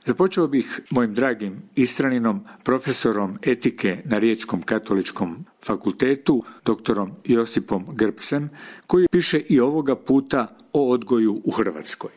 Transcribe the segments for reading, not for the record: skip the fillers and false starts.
Započeo bih mojim dragim Istraninom, profesorom etike na Riječkom katoličkom fakultetu, doktorom Josipom Grbcem, koji piše i ovoga puta o odgoju u Hrvatskoj.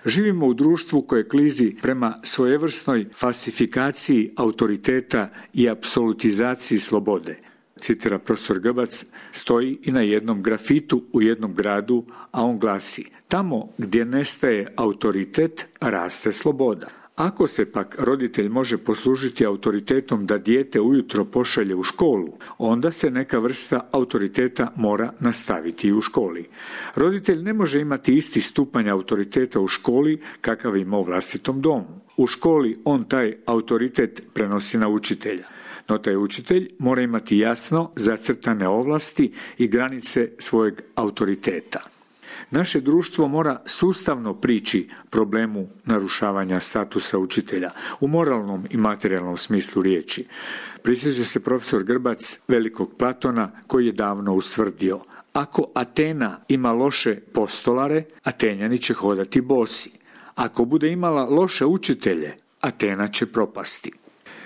Živimo u društvu koje klizi prema svojevrsnoj falsifikaciji autoriteta i apsolutizaciji slobode. Citira profesor Grbac, stoji i na jednom grafitu u jednom gradu, a on glasi: tamo gdje nestaje autoritet, raste sloboda. Ako se pak roditelj može poslužiti autoritetom da dijete ujutro pošalje u školu, onda se neka vrsta autoriteta mora nastaviti i u školi. Roditelj ne može imati isti stupanj autoriteta u školi kakav ima u vlastitom domu. U školi on taj autoritet prenosi na učitelja. No taj učitelj mora imati jasno zacrtane ovlasti i granice svojeg autoriteta. Naše društvo mora sustavno prići problemu narušavanja statusa učitelja u moralnom i materijalnom smislu riječi. Prisjeća se profesor Grbac velikog Platona koji je davno ustvrdio: ako Atena ima loše postolare, Atenjani će hodati bosi. Ako bude imala loše učitelje, Atena će propasti.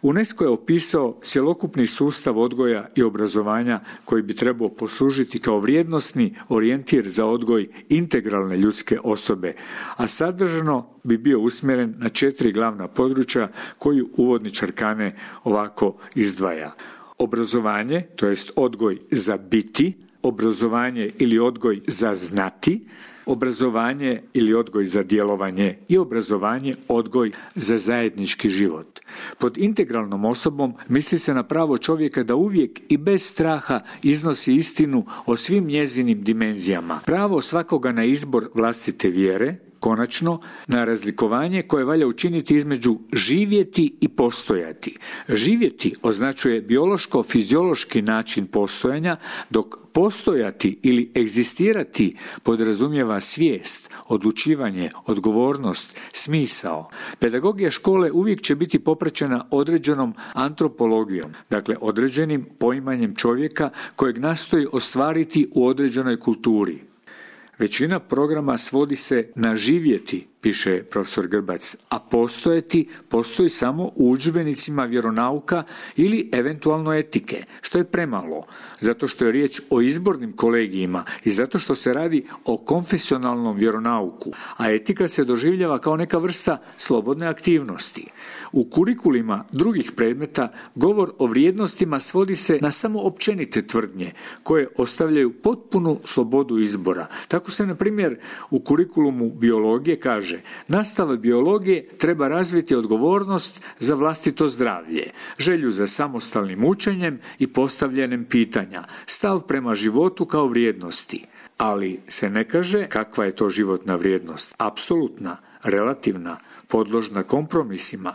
UNESCO je opisao cjelokupni sustav odgoja i obrazovanja koji bi trebao poslužiti kao vrijednosni orijentir za odgoj integralne ljudske osobe, a sadržano bi bio usmjeren na 4 glavna područja koju uvodničar Kane ovako izdvaja. Obrazovanje, to jest odgoj za biti, obrazovanje ili odgoj za znati, obrazovanje ili odgoj za djelovanje i obrazovanje, odgoj za zajednički život. Pod integralnom osobom misli se na pravo čovjeka da uvijek i bez straha iznosi istinu o svim njezinim dimenzijama. Pravo svakoga na izbor vlastite vjere, konačno, na razlikovanje koje valja učiniti između živjeti i postojati. Živjeti označuje biološko-fiziološki način postojanja, dok postojati ili egzistirati podrazumijeva svijest, odlučivanje, odgovornost, smisao. Pedagogija škole uvijek će biti popraćena određenom antropologijom, dakle određenim poimanjem čovjeka kojeg nastoji ostvariti u određenoj kulturi. Većina programa svodi se na živjeti, piše profesor Grbac, a postojati postoji samo u udžbenicima vjeronauka ili eventualno etike, što je premalo, zato što je riječ o izbornim kolegijima i zato što se radi o konfesionalnom vjeronauku, a etika se doživljava kao neka vrsta slobodne aktivnosti. U kurikulima drugih predmeta govor o vrijednostima svodi se na samo općenite tvrdnje, koje ostavljaju potpunu slobodu izbora. Tako se, na primjer, u kurikulumu biologije kaže: nastava biologije treba razviti odgovornost za vlastito zdravlje, želju za samostalnim učenjem i postavljanjem pitanja, stav prema životu kao vrijednosti. Ali se ne kaže kakva je to životna vrijednost, apsolutna, relativna, podložna kompromisima.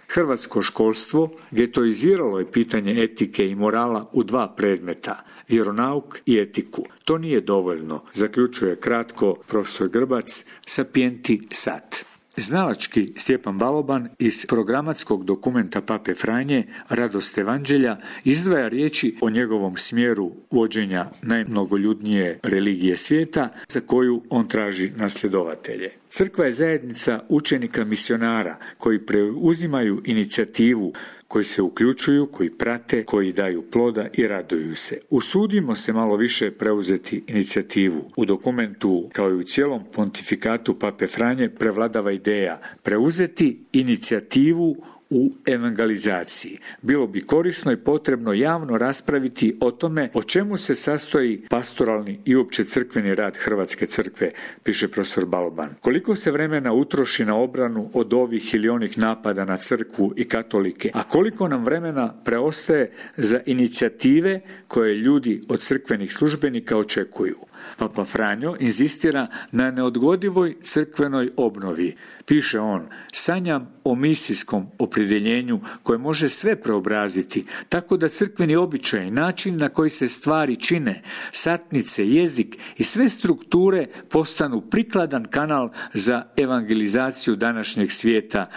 Hrvatsko školstvo getoiziralo je pitanje etike i morala u 2 predmeta, vjeronauk i etiku. To nije dovoljno, zaključuje kratko profesor Grbac, sapienti sat. Znalački Stjepan Baloban iz programatskog dokumenta Pape Franje Radost Evanđelja izdvaja riječi o njegovom smjeru vođenja najmnogoljudnije religije svijeta za koju on traži nasljedovatelje. Crkva je zajednica učenika misionara koji preuzimaju inicijativu, koji se uključuju, koji prate, koji daju ploda i raduju se. Usudimo se malo više preuzeti inicijativu. U dokumentu, kao i u cijelom pontifikatu Pape Franje, prevladava ideja preuzeti inicijativu u evangelizaciji. Bilo bi korisno i potrebno javno raspraviti o tome o čemu se sastoji pastoralni i uopće crkveni rad Hrvatske crkve, piše profesor Baloban. Koliko se vremena utroši na obranu od ovih ili onih napada na crkvu i katolike, a koliko nam vremena preostaje za inicijative koje ljudi od crkvenih službenika očekuju. Papa Franjo inzistira na neodgodivoj crkvenoj obnovi. Piše on: sanjam o misijskom opredjeljenju koje može sve preobraziti, tako da crkveni običaj, način na koji se stvari čine, satnice, jezik i sve strukture postanu prikladan kanal za evangelizaciju današnjeg svijeta,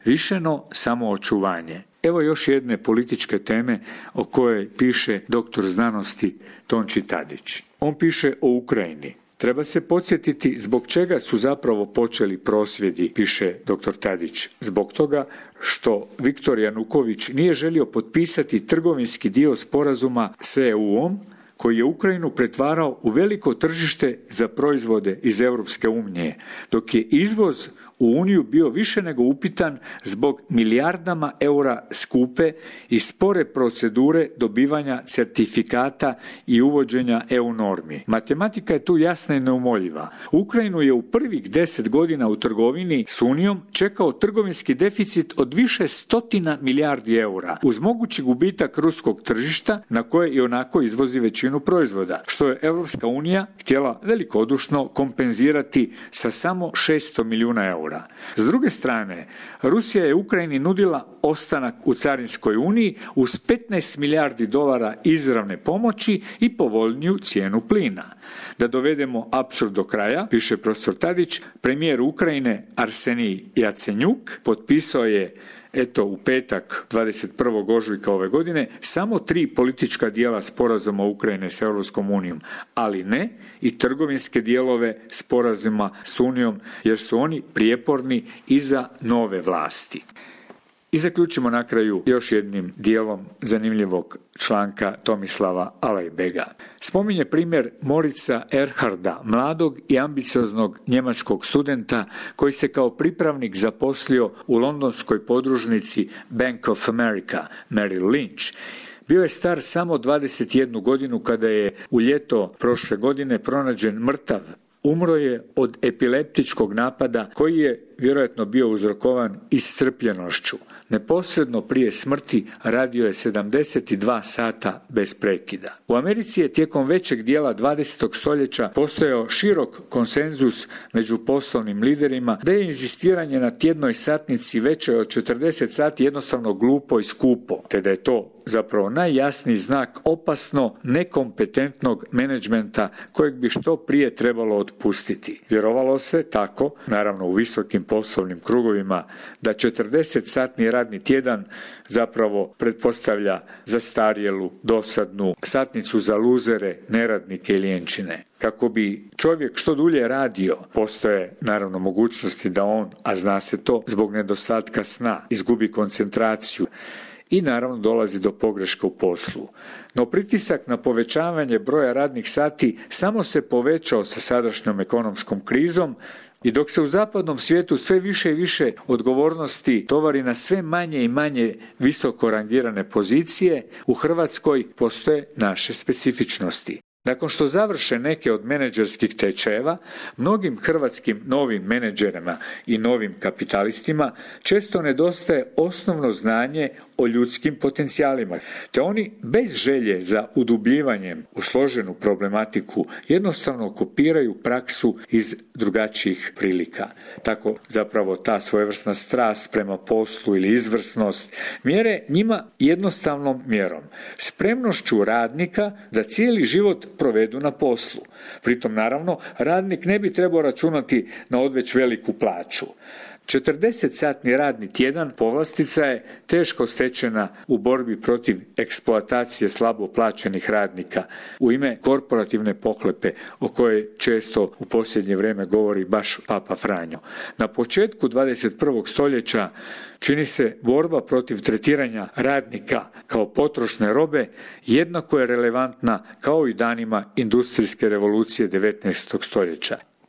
višeno samoočuvanje. Evo još jedne političke teme o kojoj piše doktor znanosti Tonči Tadić. On piše o Ukrajini. Treba se podsjetiti zbog čega su zapravo počeli prosvjedi, piše dr. Tadić. Zbog toga što Viktor Januković nije želio potpisati trgovinski dio sporazuma s EU-om, koji je Ukrajinu pretvarao u veliko tržište za proizvode iz Europske unije, dok je izvoz u Uniju bio više nego upitan zbog milijardama eura skupe i spore procedure dobivanja certifikata i uvođenja EU normi. Matematika je tu jasna i neumoljiva. Ukrajinu je u prvih 10 godina u trgovini s Unijom čekao trgovinski deficit od više stotina milijardi eura, uz mogući gubitak ruskog tržišta na koje i onako izvozi većinu proizvoda, što je Europska unija htjela velikodušno kompenzirati sa samo 600 milijuna eura. S druge strane, Rusija je Ukrajini nudila ostanak u carinskoj uniji uz 15 milijardi dolara izravne pomoći i povoljniju cijenu plina. Da dovedemo apsurd do kraja, piše profesor Tadić, premijer Ukrajine Arsenij Jacenjuk potpisao je u petak 21. ožujka ove godine samo 3 politička dijela sporazuma Ukrajine s Europskom unijom, ali ne i trgovinske dijelove sporazuma s Unijom, jer su oni prijeporni i za nove vlasti. I zaključimo na kraju još jednim dijelom zanimljivog članka Tomislava Alajbega. Spominje primjer Morica Erharda, mladog i ambicioznog njemačkog studenta koji se kao pripravnik zaposlio u londonskoj podružnici Bank of America, Merrill Lynch. Bio je star samo 21 godinu kada je u ljeto prošle godine pronađen mrtav. Umro je od epileptičkog napada koji je vjerojatno bio uzrokovan iscrpljenošću. Neposredno prije smrti radio je 72 sata bez prekida. U Americi je tijekom većeg dijela 20. stoljeća postojao širok konsenzus među poslovnim liderima da je inzistiranje na tjednoj satnici većoj od 40 sati jednostavno glupo i skupo, te da je to zapravo najjasniji znak opasno nekompetentnog menadžmenta kojeg bi što prije trebalo otpustiti. Vjerovalo se tako, naravno u visokim poslovnim krugovima, da 40-satni radni tjedan zapravo pretpostavlja zastarjelu, dosadnu satnicu za luzere, neradnike i lijenčine. Kako bi čovjek što dulje radio, postoje naravno mogućnosti da on, a zna se to, zbog nedostatka sna, izgubi koncentraciju i naravno dolazi do pogreška u poslu. No pritisak na povećavanje broja radnih sati samo se povećao sa sadašnjom ekonomskom krizom i dok se u zapadnom svijetu sve više i više odgovornosti tovari na sve manje i manje visoko rangirane pozicije, u Hrvatskoj postoje naše specifičnosti. Nakon što završe neke od menadžerskih tečajeva, mnogim hrvatskim novim menadžerima i novim kapitalistima često nedostaje osnovno znanje o ljudskim potencijalima, te oni bez želje za udubljivanjem u složenu problematiku jednostavno kopiraju praksu iz drugačijih prilika. Tako zapravo ta svojevrsna strast prema poslu ili izvrsnost mjere njima jednostavnom mjerom, spremnošću radnika da cijeli život provedu na poslu. Pritom naravno radnik ne bi trebao računati na odveć veliku plaću. 40-satni radni tjedan povlastica je teško stečena u borbi protiv eksploatacije slabo plaćenih radnika u ime korporativne pohlepe o kojoj često u posljednje vrijeme govori baš Papa Franjo. Na početku 21. stoljeća čini se borba protiv tretiranja radnika kao potrošne robe jednako je relevantna kao i danima industrijske revolucije 19. stoljeća.